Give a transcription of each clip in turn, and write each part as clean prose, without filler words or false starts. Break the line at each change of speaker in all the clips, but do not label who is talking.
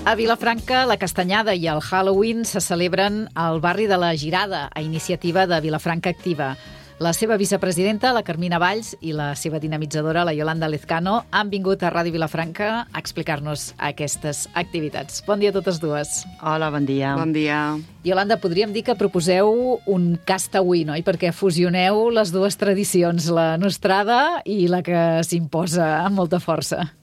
A Vilafranca, la Castanyada i el Halloween se celebren al barri de la Girada, a iniciativa de Vilafranca Activa. La seva vicepresidenta, la Carmina Valls, i la seva dinamitzadora, la Yolanda Lezcano, han vingut a Ràdio Vilafranca a explicar-nos aquestes activitats. Bon dia a totes dues.
Hola, bon dia.
Bon dia.
Yolanda, podríem dir que proposeu un castaway, oi? Perquè fusioneu les dues tradicions, la nostrada i la que s'imposa amb molta força.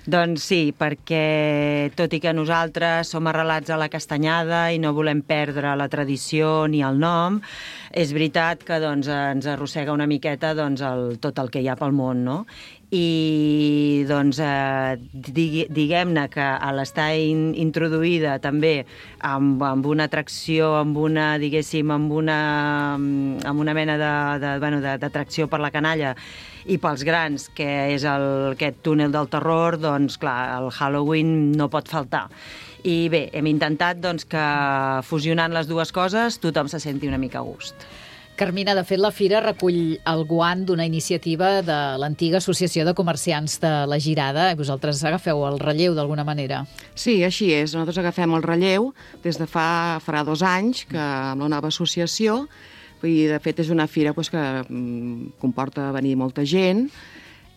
Doncs sí, perquè tot i que nosaltres som arrelats a la Castanyada i no volem perdre la tradició ni el nom, és veritat que ens arrossega una miqueta tot el que hi ha pel món, no? I diguem-ne que a l'estar introduïda també amb una atracció, amb una mena d'atracció per la canalla i pels grans, que és aquest túnel del terror, doncs clar, el Halloween no pot faltar. I bé, hem intentat que fusionant les dues coses tothom se senti una mica a gust.
Carmina, de fet, la fira recull el guant d'una iniciativa de l'antiga Associació de Comerciants de la Girada. Vosaltres agafeu el relleu d'alguna manera.
Sí, així és. Nosaltres agafem el relleu des de farà 2 anys que amb la nova associació, i de fet és una fira que comporta venir molta gent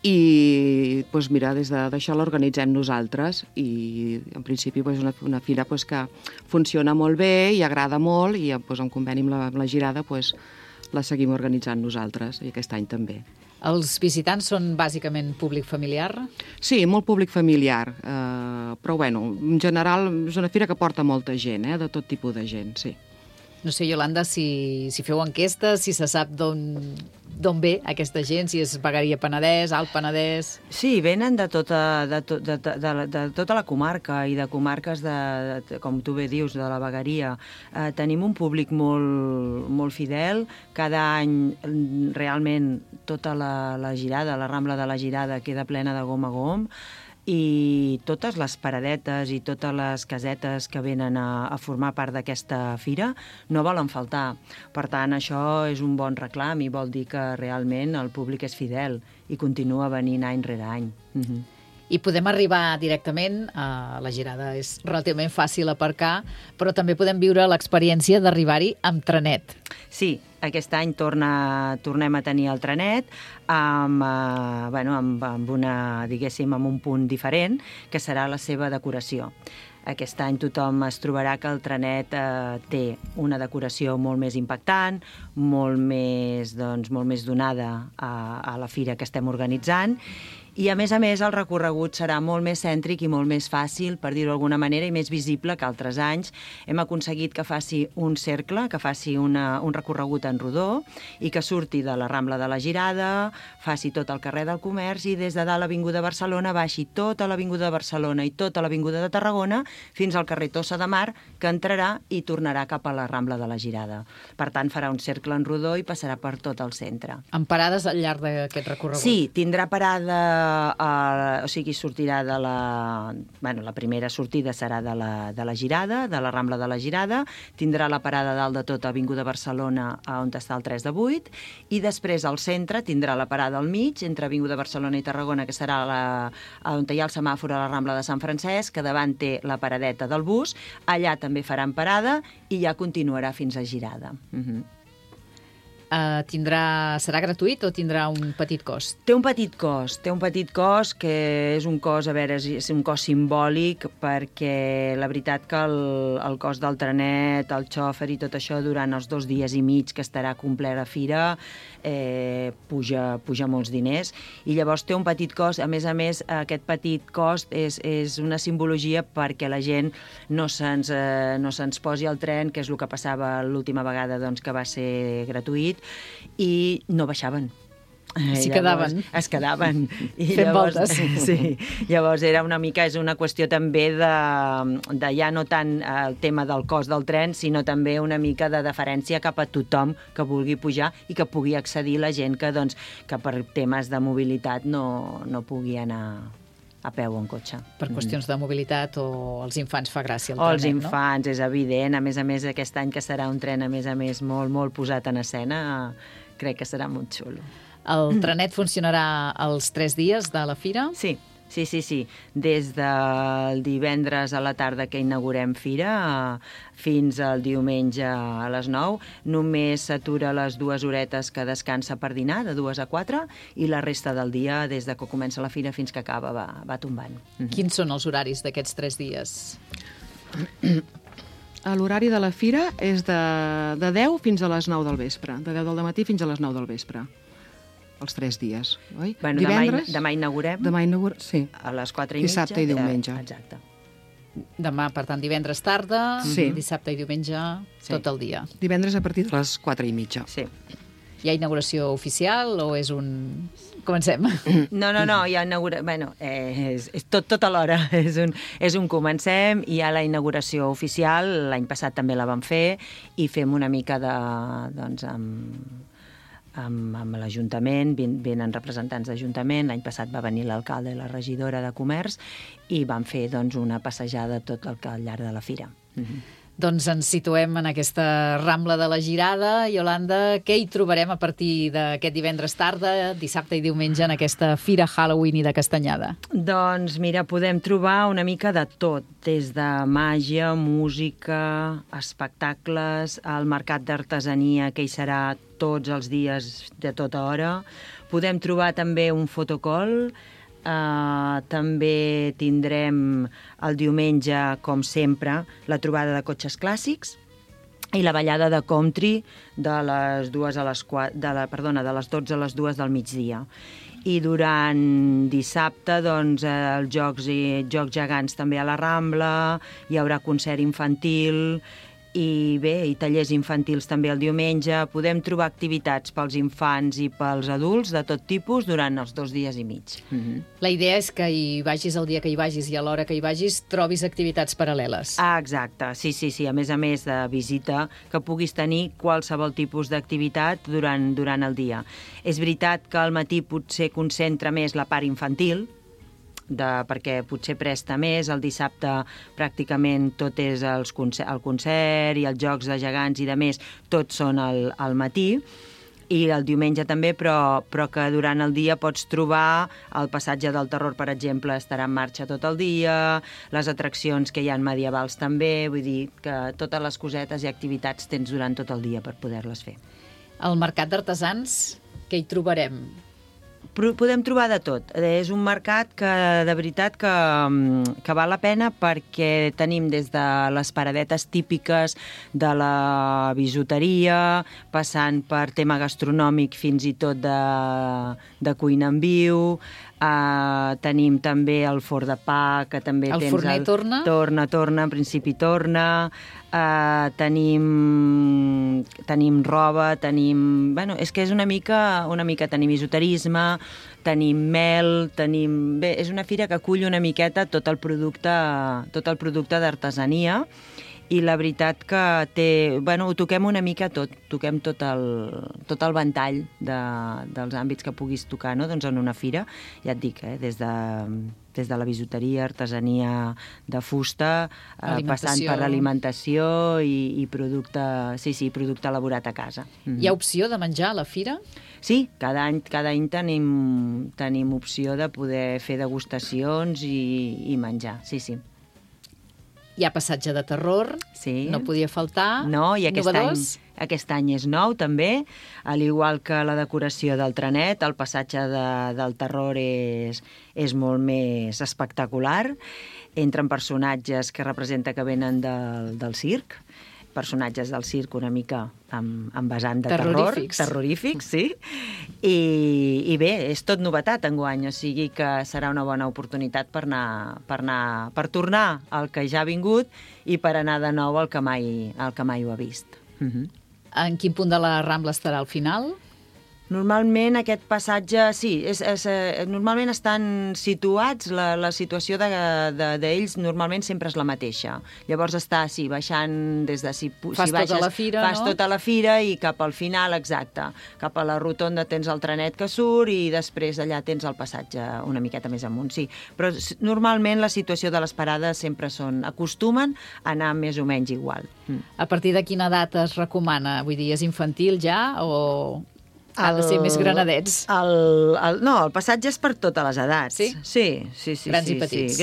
i mira, des d'això l'organitzem nosaltres i en principi és una fira que funciona molt bé i agrada molt i en conveni amb la Girada la seguim organitzant nosaltres i aquest any també.
Els visitants són bàsicament públic familiar?
Sí, molt públic familiar, però en general és una fira que porta molta gent, de tot tipus de gent, sí.
No sé, Yolanda, si feu enquestes, si se sap d'on ve aquesta gent, si és vegueria Penedès, Alt Penedès...
Sí, venen de tota la comarca i de comarques, com tu bé dius, de la vegueria. Tenim un públic molt fidel. Cada any, realment, tota la Girada, la Rambla de la Girada, queda plena de gom a gom. I totes les paradetes i totes les casetes que venen a formar part d'aquesta fira no volen faltar. Per tant, això és un bon reclam i vol dir que realment el públic és fidel i continua venint any rere any.
I podem arribar directament a la Girada. És relativament fàcil aparcar, però també podem viure l'experiència d'arribar-hi amb trenet.
Sí, aquest any tornem a tenir el trenet amb un punt diferent, que serà la seva decoració. Aquest any tothom es trobarà que el trenet té una decoració molt més impactant, molt més donada a la fira que estem organitzant, i a més el recorregut serà molt més cèntric i molt més fàcil, per dir-ho d'alguna manera, i més visible que altres anys. Hem aconseguit que faci un cercle, que faci un recorregut en rodó i que surti de la Rambla de la Girada, faci tot el carrer del Comerç i des de dalt l'Avinguda Barcelona baixi tota l'Avinguda de Barcelona i tota l'Avinguda de Tarragona fins al carrer Tossa de Mar, que entrarà i tornarà cap a la Rambla de la Girada. Per tant, farà un cercle en rodó i passarà per tot el centre.
Amb parades al llarg d'aquest recorregut?
Sí, tindrà parada. Sortirà de la primera sortida serà de la Girada, de la Rambla de la Girada, tindrà la parada dalt de tot a Avinguda Barcelona, on està el 3 de 8, i després al centre tindrà la parada al mig, entre Avinguda Barcelona i Tarragona, que serà on hi ha el semàfor a la Rambla de Sant Francesc, que davant té la paradeta del bus, allà també faran parada i ja continuarà fins a Girada.
Serà gratuït o tindrà un petit cost?
Té un petit cost que és un cost, és un cost simbòlic, perquè la veritat que el cost del trenet, el xòfer i tot això durant els 2 dies i mig que estarà completa la fira puja molts diners, i llavors té un petit cost. A més, aquest petit cost és una simbologia perquè la gent no se'ns posi al tren, que és el que passava l'última vegada que va ser gratuït, i no baixaven.
S'hi quedaven.
Es quedaven.
Fent voltes.
Sí. Llavors és una qüestió també de ja no tant el tema del cost del tren, sinó també una mica de deferència cap a tothom que vulgui pujar i que pugui accedir la gent que per temes de mobilitat no pugui anar a peu o en cotxe.
Per qüestions de mobilitat o els infants fa gràcia el trenet,
no? Els infants, és evident. A més, aquest any que serà un tren, a més, molt, molt posat en escena, crec que serà molt xulo.
El trenet funcionarà els 3 dies de la fira?
Sí. Sí. Des del divendres a la tarda que inaugurem fira fins al diumenge a les 9. Només s'atura les 2 horetes que descansa per dinar, de 2 a 4, i la resta del dia, des de que comença la fira fins que acaba, va tombant.
Quins són els horaris d'aquests 3 dies?
L'horari de la fira és de 10 fins a les 9 del vespre, de 10 del matí fins a les 9 del vespre. Els 3 dies, oi?
Bueno,
divendres,
demà inaugurem.
Sí.
A les 4:30.
Dissabte i diumenge.
Exacte.
Demà, per tant, divendres tarda, dissabte i diumenge, tot el dia.
Divendres a partir de les 4:30.
Sí.
Hi ha inauguració oficial o és un... Comencem.
No, hi ha inauguració... Bueno, és tot alhora. És un comencem, hi ha la inauguració oficial, l'any passat també la vam fer, i fem una mica de... doncs, amb l'Ajuntament, venen representants d'Ajuntament, l'any passat va venir l'alcalde i la regidora de Comerç, i van fer doncs, una passejada tot al llarg de la fira.
Doncs ens situem en aquesta Rambla de la Girada. Iolanda, què hi trobarem a partir d'aquest divendres tarda, dissabte i diumenge, en aquesta Fira Halloween i de Castanyada?
Doncs mira, podem trobar una mica de tot, des de màgia, música, espectacles, el mercat d'artesania, que hi serà tots els dies de tota hora. Podem trobar també un fotocall. També tindrem el diumenge, com sempre, la trobada de cotxes clàssics i la ballada de country de les 12 a les 2 del migdia. I durant dissabte, doncs, els jocs gegants també a la Rambla, hi haurà concert infantil, i bé, i tallers infantils també el diumenge. Podem trobar activitats pels infants i pels adults de tot tipus durant els 2 dies i mig.
La idea és que hi vagis el dia que hi vagis i a l'hora que hi vagis trobis activitats paral·leles.
Exacte, sí. A més de visita, que puguis tenir qualsevol tipus d'activitat durant el dia. És veritat que al matí potser concentra més la part infantil, perquè potser presta més. El dissabte pràcticament tot és el concert i els jocs de gegants i de més, tots són al matí, i el diumenge també, però que durant el dia pots trobar el passatge del terror, per exemple, estarà en marxa tot el dia, les atraccions que hi ha medievals també, vull dir que totes les cosetes i activitats tens durant tot el dia per poder-les fer.
Al mercat d'artesans, què hi trobarem?
Podem trobar de tot. És un mercat que, de veritat, que val la pena, perquè tenim des de les paradetes típiques de la bisuteria, passant per tema gastronòmic fins i tot de cuina en viu. Tenim també el forn de pa, que també
el
tens...
El forner torna?
Torna, en principi torna. Tenim roba, tenim... Bueno, és que és una mica tenim esoterisme, tenim mel, tenim... Bé, és una fira que acull una miqueta tot el producte d'artesania, i la veritat que ho toquem una mica tot, toquem tot el ventall dels àmbits que puguis tocar, no? Doncs en una fira, ja et dic, des de la bisuteria, artesania de fusta, passant per l'alimentació i producte elaborat a casa.
Hi ha opció de menjar a la fira?
Sí, cada any tenim opció de poder fer degustacions i menjar, sí.
Hi ha passatge de terror,
sí.
No podia faltar.
No, i aquest any és nou també, al igual que la decoració del trenet, el passatge del terror és molt més espectacular. Entren personatges que representa que venen del circ, personatges del circ una mica amb vessant de terror. Terrorífics, sí. I bé, és tot novetat enguany, o sigui que serà una bona oportunitat per tornar al que ja ha vingut i per anar de nou al que mai ho ha vist.
En quin punt de la Rambla estarà al final?
Normalment aquest passatge, sí, normalment estan situats, la situació d'ells normalment sempre és la mateixa. Llavors està, sí, baixant des de...
Fas tota la fira, no?
Fas tota la fira i cap al final, exacte, cap a la rotonda tens el trenet que surt i després allà tens el passatge una miqueta més amunt, sí. Però normalment la situació de les parades sempre acostumen a anar més o menys igual.
A partir de quina data es recomana? Vull dir, és infantil ja o... Han de ser més granadets.
No, el passatge és per totes les edats.
Sí?
Sí.
Grans i petits.
Sí,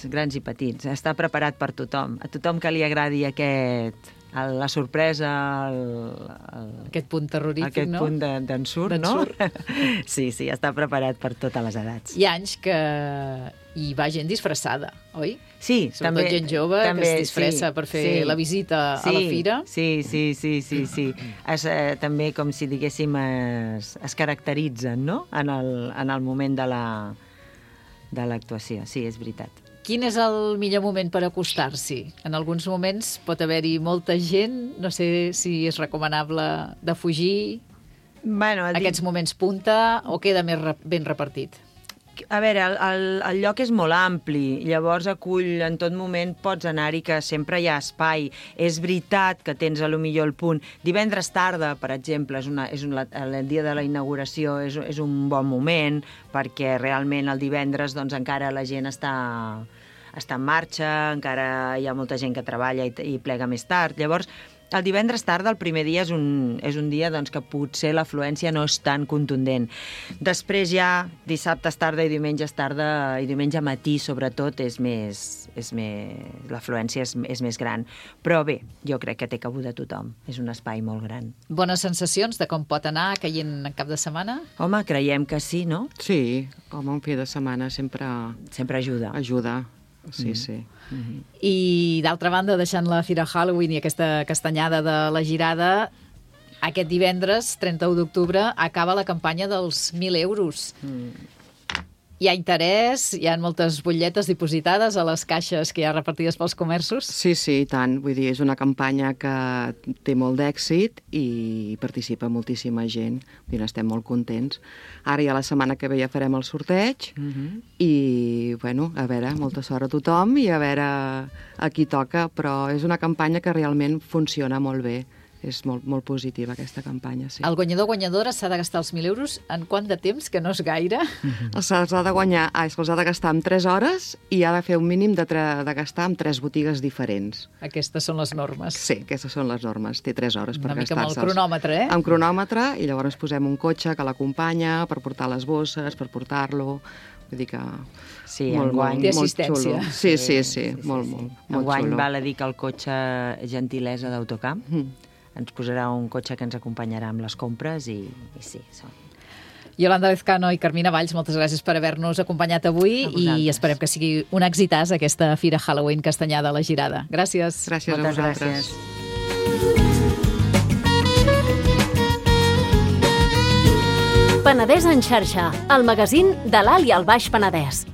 grans i petits. Està preparat per tothom. A tothom que li agradi la sorpresa,
aquest punt terrorífic, no?
Aquest punt d'ensurt, no? Sí, està preparat per totes les edats.
Hi ha anys que hi va gent disfressada, oi?
Sí,
sobretot
també.
Gent jove que es disfressa per fer la visita a la fira.
Sí. També, com si diguéssim, es caracteritzen, no?, en el moment de l'actuació. Sí, és veritat.
Quin és el millor moment per acostar-s'hi? En alguns moments pot haver-hi molta gent, no sé si és recomanable de fugir, aquests moments punta, o queda més ben repartit?
A veure, el lloc és molt ampli, llavors acull en tot moment, pots anar-hi, que sempre hi ha espai. És veritat que tens millor el punt. Divendres tarda, per exemple, el dia de la inauguració és un bon moment, perquè realment el divendres encara la gent està en marxa, encara hi ha molta gent que treballa i plega més tard. Llavors, el divendres tarda, el primer dia, és un dia que potser l'afluència no és tan contundent. Després ja, dissabtes tarda i diumenges tarda, i diumenge matí, sobretot, l'afluència és més gran. Però bé, jo crec que té cabuda tothom. És un espai molt gran.
Bones sensacions de com pot anar caient en cap de setmana?
Home, creiem que sí, no?
Sí, un fi de setmana sempre
ajuda.
Sí.
I, d'altra banda, deixant la Fira Halloween i aquesta castanyada de la Girada, aquest divendres, 31 d'octubre, acaba la campanya dels 1.000 euros. Hi ha interès, hi ha moltes butlletes dipositades a les caixes que hi ha repartides pels comerços?
Sí, i tant. Vull dir, és una campanya que té molt d'èxit i participa moltíssima gent. Vull dir, estem molt contents. Ara ja la setmana que ve ja farem el sorteig i, a veure, molta sort a tothom i a veure a qui toca, però és una campanya que realment funciona molt bé. És molt positiva, aquesta campanya, sí.
El guanyador o guanyadora s'ha de gastar els 1.000 euros en quant de temps, que no és gaire?
Se'ls ha de gastar en 3 hores i ha de fer un mínim de gastar en 3 botigues diferents.
Aquestes són les normes.
Sí, aquestes són les normes. Té 3 hores per gastar-se'ls.
Una mica amb el cronòmetre,
Amb cronòmetre, i llavors posem un cotxe que l'acompanya per portar les bosses, per portar-lo. Vull dir que...
Sí,
enguany té assistència.
Sí, molt xulo.
Enguany val a dir que el cotxe gentilesa d'Autocamp ens posarà un cotxe que ens acompanyarà amb les compres i sí.
Yolanda Lezcano i Carmina Valls, moltes gràcies per haver-nos acompanyat avui i esperem que sigui un èxitàs aquesta Fira Halloween Castanyada a la Girada. Gràcies.
Gràcies a vosaltres.
Penedès en xarxa, el magazín de l'Alt i el Baix Penedès.